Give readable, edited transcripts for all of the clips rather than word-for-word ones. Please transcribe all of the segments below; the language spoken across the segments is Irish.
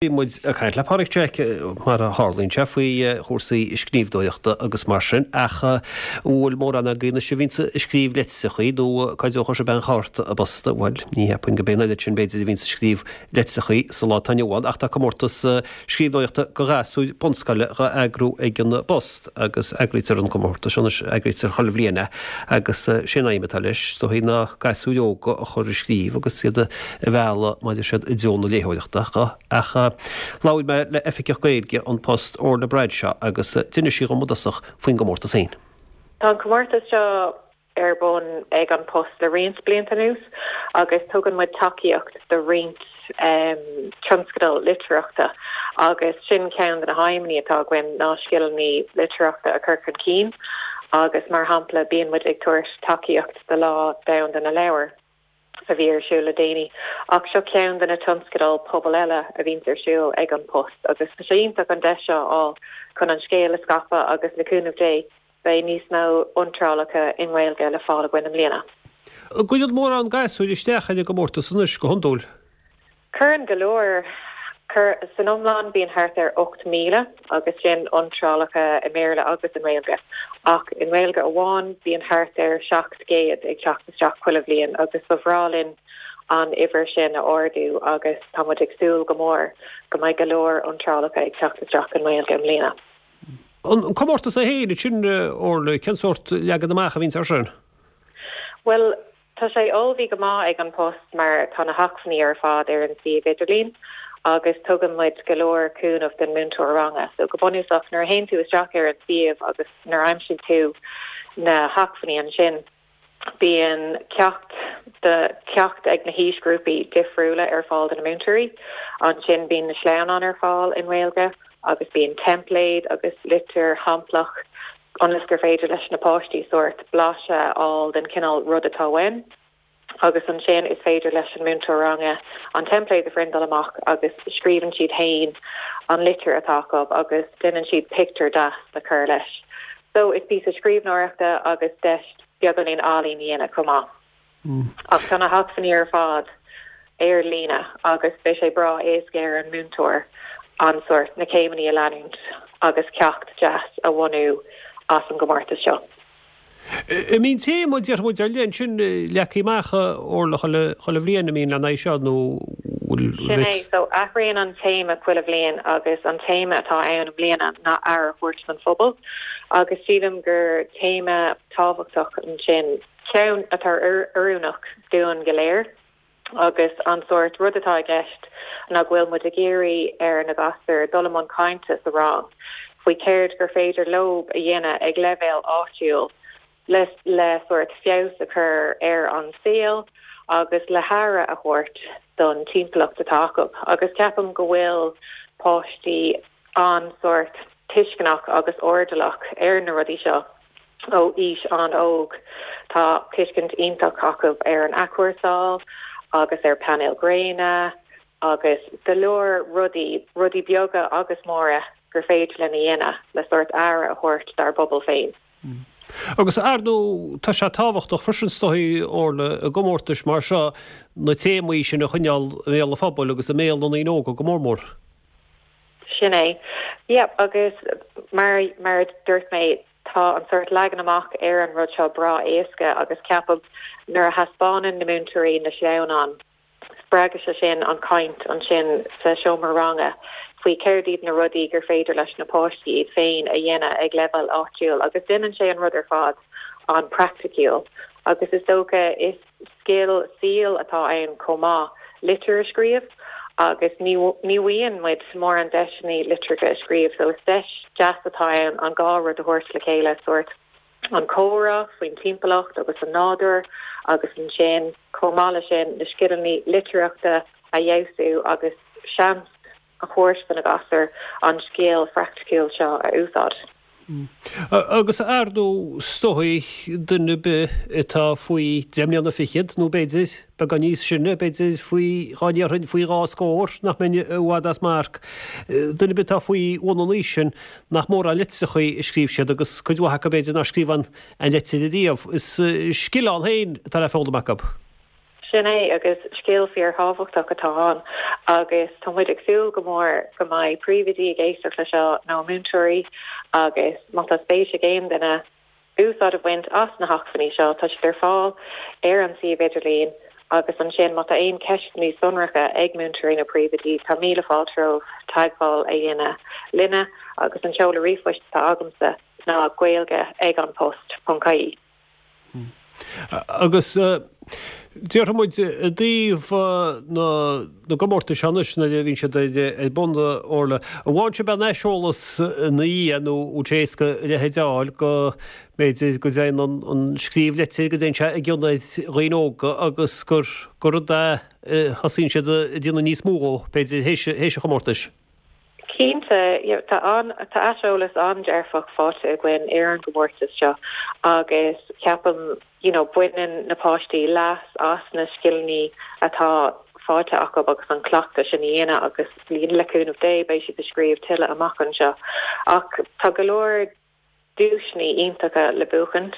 Bhí muid ag caint le Pádraig Jack, mar a tharlaíonn sé, faoi chúrsaí scríbhneoireachta agus mar sin, ach an bhfuil mórán agaibh anois a bhíonns ag scríobh litreachaí nó cá dtógfadh sibh aon chárta an phosta? Bhuel, ní cheapfainn go b'é an oiread sin b'fhéidir a bhíonns ag scríobh litreachaí sa lá atá inniu ann, ach tá comórtas scríbhneoireachta do ghasúir bunscoile dhá eagrú ag an bPost agus eagraítear an comórtas seo anois, eagraítear chuile bhliain é agus sé an aidhm atá leis, is dóigh, ná gasúir óga a chur ag scríobh agus iad a mhealladh mar a deir siad i dtreo na léitheoireachta. Ach labhair mé le Oifigeach Gaeilge An Post, Orla Bradshaw, agus d'inis sí dhom i dtosach faoin gcomórtas féin. Tá an comórtas seo ar bun ag An Post le roinnt blianta anuas agus tugann muid tacaíocht do roinnt tionscadal litearthachta agus sin ceann de na haidhmeanna atá againn ná scileanna litearthachta a chur chun cinn agus mar shampla bíonn muid ag tabhairt tacaíocht do Lá Domhanda na Leabhar. a bhí ar siúl le déanaí. Ach seo ceann de na tionscadail pobail eile a bhíonns ar siúl ag An Post agus tá sé iontach an deis seo a fháil chun an scéal a scaipeadh agus le cúnamh Dé beidh níos mó iontrálacha i nGaeilge le fáil againn i mbliana. An gcuireann mórán gasúir isteach ar an gcomórtas anois go hiondúil? Cuireann go leor. San iomlán bíonn thart ar 8,000 agus sin iontrálacha i mBéarla agus i nGaeilge. Ach i nGaeilge amháin bíonn thart ar 700 ag teacht isteach chuile bhliain agus ba bhreá linn an uimhir sin a ardú agus tá muid ag súil go mór go mbeidh go leor iontrálacha ag teacht isteach i nGaeilge i mbliana. An comórtas é féin, ansin, Orla, cén sórt leagan amach a bhíonns air sin? Bhuel, Tá sé ullmhaithe go maith ag An Post mar tá na hacmhainní ar fad ar an suíomh idirlín agus tugann muid go leor cúnamh don múinteoir ranga. So go bunúsach nuair a théann tú isteach ar an suíomh agus nuair a aimsíonn tú na hacmhainní ansin bíonn ceacht do ceacht ag na haoisghrúpaí difriúla ar fáil do na múinteoirí. Ansin bíonn na sleamhnáin ar fáil i nGaeilge agus bíonn teimpléad agus litir shamplach ionas gur féidir leis na páistí sórt blaiseadh a fháil den chineál rud atá uainn agus ansin is féidir leis an múinteoir ranga an teimpléad a phriontáil amach agus scríobhann siad féin an litir atá acu agus déanann siad pictiúr deas le cur leis. So is píosa scríbhneoireachta agus deis beagáinín ealaín a dhéanamh chomh maith. Ach tá na hacmhainní ar fad ar líne agus beidh sé breá éasca ar an múinteoir an sórt, na céimeanna a leanúint agus ceacht deas a bhunú as an gcomórtas seo. An mbíonn téama, déarfaidh muid, ar leith ansin leagtha amach, Orla, chuile bhliain, an mbíonn lena aghaidh seo nó bhfuil Sin é, so athraíonn an téama chuile bhliain agus an téama atá ann i mbliana ná aire a thabhairt don phobal agus sílim gur téama tábhachtach ansin ceann atá oiriúnach dúinn go léir agus an sórt rud atá i gceist ná go bhfuil muid ag iarraidh ar na gasúir dul i mbun cainte sa rang faoi céard gur féidir leob a dhéanamh ag leibhéal áitiúil le le sórt feabhas a chur ar an saol agus le haire a thabhairt don timpeallacht atá acu agus ceapaim go bhfuil páistí an-sórt tuisceanach agus airdeallach ar na rudaí seo. Ó aois an-óg, tá tuiscint iontach acu ar an athchúrsáil agus ar painéil ghréine agus go leor rudaí, rudaí beaga agus móra gur féidir linn a dhéanamh le sórt aire a thabhairt dár bpobal féin. Agus ar ndóigh, tá sé tábhachtach freisin is dóigh, Orla, i gcomórtais mar seo na téamaí sin a choinneáil i mbéal an phobail agus i mbéal na ndaoine óga go mór mór. Sin é. Yep, agus mar, mar a dúirt mé, tá an sórt leagan amach ar an rud seo breá éasca agus ceapaim nuair a thaispeánann na múinteoirí na sleamhnáin, spreagann sé sin an chaint ansin sa seomra ranga faoi céard iad na rudaí gur féidir leis na páistí iad féin a dhéanamh ag leibhéal áitiúil agus déanann sé an rud ar fad an-praiticiúil agus is dócha is Scil saoil atá ann chomh maith, litir a scríobh, agus ní ní bhfaigheann muid mórán deiseanna litreacha a scríobh, so is deis deas atá ann an dhá rud a thabhairt le chéile, sórt an comhrá faoin timpeallacht agus an nádúr agus ansin chomh maith le sin na scileanna litearthachta a fheabhsú agus seans a thabhairt do na gasúir an scil phraiticiúil seo a úsáid. Agus ar ndóigh, is dóigh, duine ar bith atá faoi deich mbliana fichead, nó b'fhéidir beagán níos sine, b'fhéidir faoi, dhá ndéarfainn, faoi dhá scór, nach mbeinn i bhfad as marc, duine ar bith atá faoi bhun an aois sin, nach mórán litreachaí a scríobh siad, agus cuid mhaith acu b'fhéidir nár scríobh aon litir ariamh. Is scil ann féin atá le foghlaim acu. Sin é, agus scil fíorthábhachtach atá ann agus tá muid ag súil go mór go mbeidh príomhoidí ag éisteacht le seo nó múinteoirí agus má tá spéis ag aon duine úsáid a bhaint as na hacmhainní seo, tá siad ar fáil ar an suíomh idirlín agus ansin má tá aon cheisteanna sonracha ag múinteoirí nó príomhoidí, tá míle fáilte romhaibh teagmháil a dhéanamh linne agus an seoladh ríomhphoist atá agamsa ná gaeilge ag an post ponc ie. Agus déarfaidh muid i dtaobh na gcomórtas seo anois nuair a bhíonn siad ar bun, a Orla, an bhfaigheann sibh aon aiseolas ina dhiaidh nó an bhfuil sé éasca a leithéid a fháil go mb'fhéidir go dtéann an scríobh leitir, go dtéann sé i gcion ar dhaoine óga agus gur rud é a thosaíonn siad ag déanamh níos mó dhó, b'fhéidir, théis an chomórtais? Cinnte, tá an, tá aiseolas an-dearfach faighte againn ar an gcomórtas seo agus ceapaim, you know, baineann na páistí leas as na scileanna atá faighte acu agus an cleachtadh sin a dhéanamh agus le cúnamh Dé beidh siad ag scríobh tuilleadh amach anseo. Ach tá go leor duaiseanna iontacha le buachaint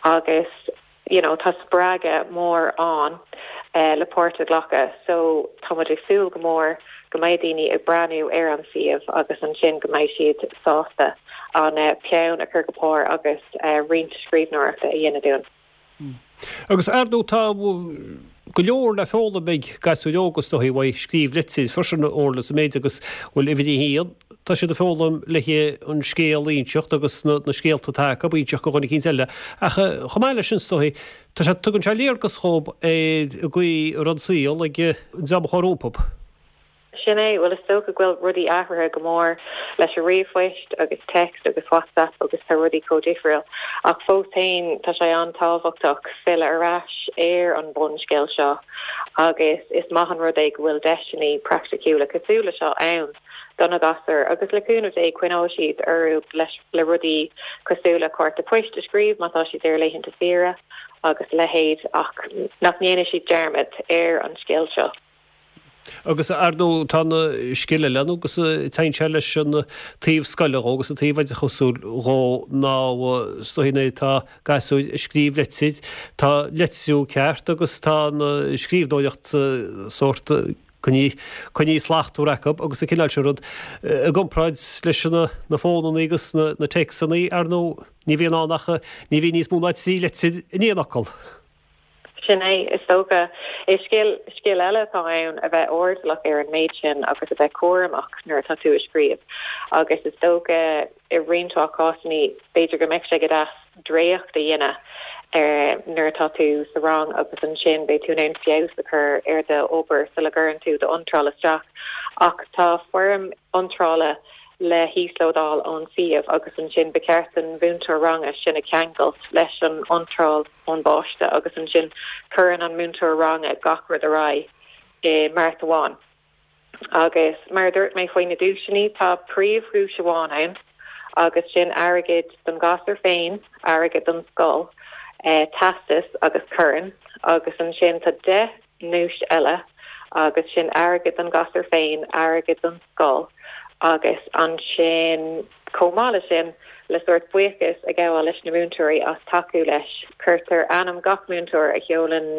agus you know tá spreagadh mór ann le páirt a ghlacadh so tá muid ag súil go mór go mbeidh daoine ag breathnú ar an suíomh agus ansin go mbeidh siad sásta an peann a chur go pár agus roinnt scríbhneoireachta a dhéanamh dúinn. Agus ar ndóigh tá go leor le foghlaim ag gasúir óga is dóigh uaidh scríobh leitir freisin a Orla sa méid agus bhuel uimhir a haon tá siad ag foghlaim le an scéal a inseacht agus na scéalta atá acu a inseacht do dhuine eicínt eile ach chomh maith leis sin is dóigh tá sé tugann sé léargas dhób ar an gcaoi a raibh an saol ag an dream a chuaigh rompu. Sin é, bhuel is dócha go bhfuil rudaí athraithe go mór leis an ríomhphoist agus text agus WhatsApp agus tá rudaí chomh difriúil. Ach fós féin tá sé an-tábhachtach filleadh ar ais ar an bhunscéal seo agus is maith an rud é go bhfuil deiseanna praiticiúla cosúil le seo ann do na gasúir agus le cúnamh Dé coinneoidh siad orthu leis le rudaí cosúil le cárta poist a scríobh má tá siad ar laethanta saoire agus a leithéid ach nach ndéanfaidh siad dearmad ar an scil seo. Agus ar ndóigh tá na scil eile ann agus téann sé leis an taobh scoile dhó agus an taobh oideachasúil dhó ná is dóigh nuair atá gasúir ag scríobh leitir, tá litriú ceart agus tá an scríbhneoireacht sórt coinnithe slachtmhar acu agus an cineál sin rud i gcomparáid leis na fónannaí agus na téacsannaí ar ndóigh ní bhíonn ann ach ní bhíonn níos mó ná 3 leitir in aon fhocal. Sin é, is dócha. Is scil, scil eile atá ann a bheith airdeallach ar an méid sin agus a bheith cúramach nuair atá tú ag scríobh. Agus is dócha i roinnt mhaith cásanna b'fhéidir go mbeadh sé go deas dréacht a dhéanamh nuair atá tú sa rang agus ansin beidh tú in ann feabhas a chur ar do obair sula gcuireann tú d'iontráil isteach. Ach tá foirm iontrála le híoslódáil ón suíomh agus ansin ba cheart don mhúinteoir ranga sin a cheangailt leis an iontráil ón bpáiste agus ansin cuireann an múinteoir ranga gach rud ar aghaidh i mbeart amháin. Agus mar a dúirt mé faoi na duaiseanna, tá príomhdhuais amháin ann agus sin airgead don ghasúr féin, airgead don scoil, teastas agus corn agus ansin tá 10 nduais eile agus sin airgead don ghasúr féin, airgead don scoil agus ansin chomh maith leis sin, le sórt buíochas a ghabháil leis na múinteoirí as tacú leis, cuirtear ainm gach múinteoir a sheolann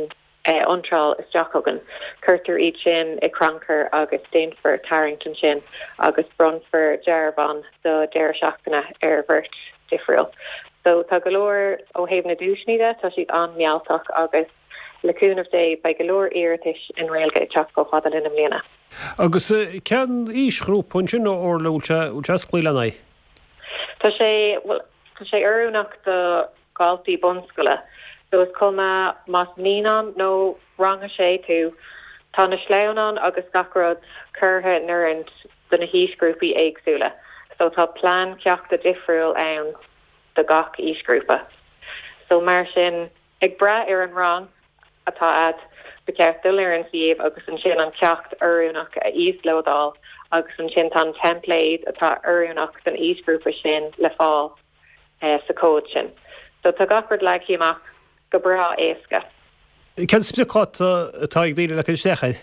iontráil isteach chugainn, cuirtear iad sin i gcrannchur agus déanfar tarraingt ansin agus bronnfar dearbhán do deireadh seachtaine ar bheirt difriúil. So tá go leor ó thaobh na duaiseanna de, tá siad an-mealltach agus. Le cúnamh Dé, beidh go leor iarratais i nGaeilge ag teacht chomh fada linn i mbliana. Agus cén aoisghrúpa ansin, a Orla, bhfuil sé, bhfuil sé osclaithe lena aghaidh? Tá sé, bhuel, tá sé oiriúnach do dhaltaí bunscoile. So is cuma más naíonán nó rang a sé tú, tá na sleamhnáin agus gach rud curtha in oiriúint do na haoisghrúpaí éagsúla. So tá plean ceachta difriúil ann do gach aoisghrúpa. So mar sin, Ag brath ar an rang atá a'd, ba cheart dul ar an suíomh agus ansin an ceacht oiriúnach a íoslódáil agus ansin tá an teimpléad atá oiriúnach don aoisghrúpa sin le fáil sa chomhad sin. So tá gach rud leagtha amach go breá éasca. Cén spriocdháta atá ag daoine le cur isteach air?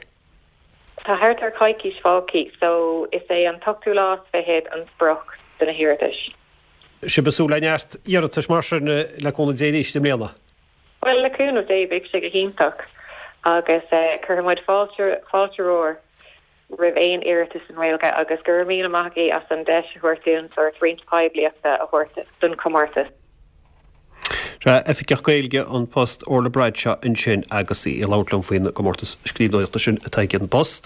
Tá thart ar choicís fágtha so is é an t-ochtú lá is fichead an sprioc do na hiarratais. Sibh ag súil le neart iarratais mar sin le cúnamh Dé arís i mbliana? Bhuel, le cúnamh Dé beidh sé go hiontach. Agus cuirfidh muid fáilte, fáilte mhór roimh aon iarratas i nGaeilge agus go raibh míle maith agaibh as an deis a thabhairt dúinn sórt roinnt poiblíochta a thabhairt don chomórtas. Sea, Oifigeach Gaeilge An Post, Orla Bradshaw ansin agus í ag labhairt liom faoin gcomórtas scríbhneoireachta sin atá ag An Post.